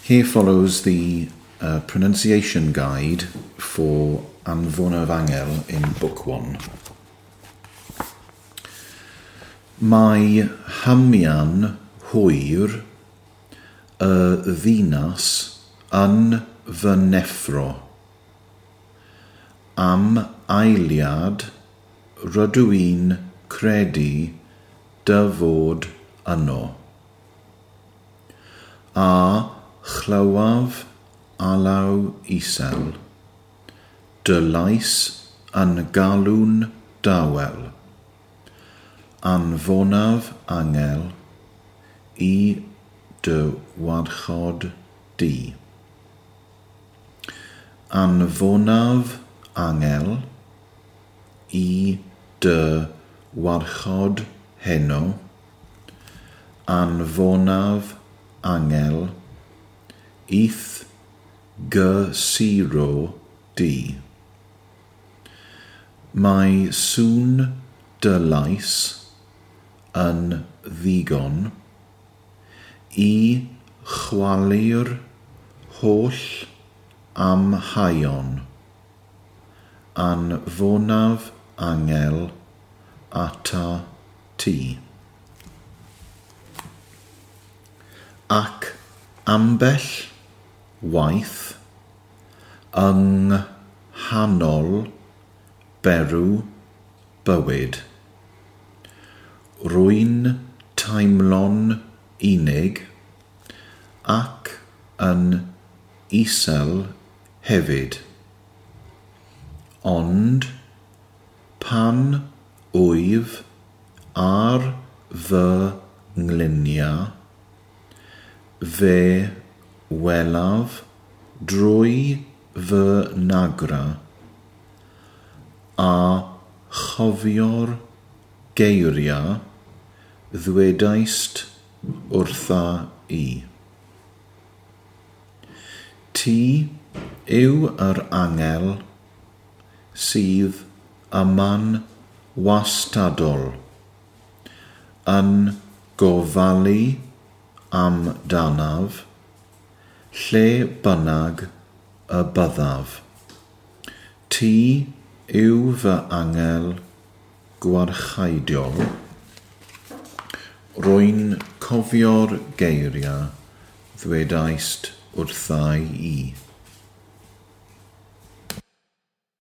Here follows the pronunciation guide for Anfonaf Angel in Book 1. Mae hymian hwyr y ddinas yn fy neffro. Am eiliad rydw i'n credu dy fod yno. A chlywaf alaw isel, dy lais yn galw'n dawel. Anfonaf angel i dy warchod di. Anfonaf angel i dy warchod heno. Anfonaf angel i'th gysuro di. Mae sŵn dy lais yn ddigon i chwalu'r holl amheuon. Anfonaf angel ata ti. Ac ambell waith yng nghanol berw bywyd. Rwy'n teimlo'n unig ac yn isel hefyd. Ond pan wyf ar fy ngliniau, fe welaf drwy fy nagra a chofio'r geiriau ddwedaist wrtha i. Ti yw yr angel sydd yma'n wastadol, yn gofalu amdanaf lle bynnag y byddaf. Ti yw fy angel gwarcheidiol. Rwy'n cofio'r geiriau ddwedaist wrtha i.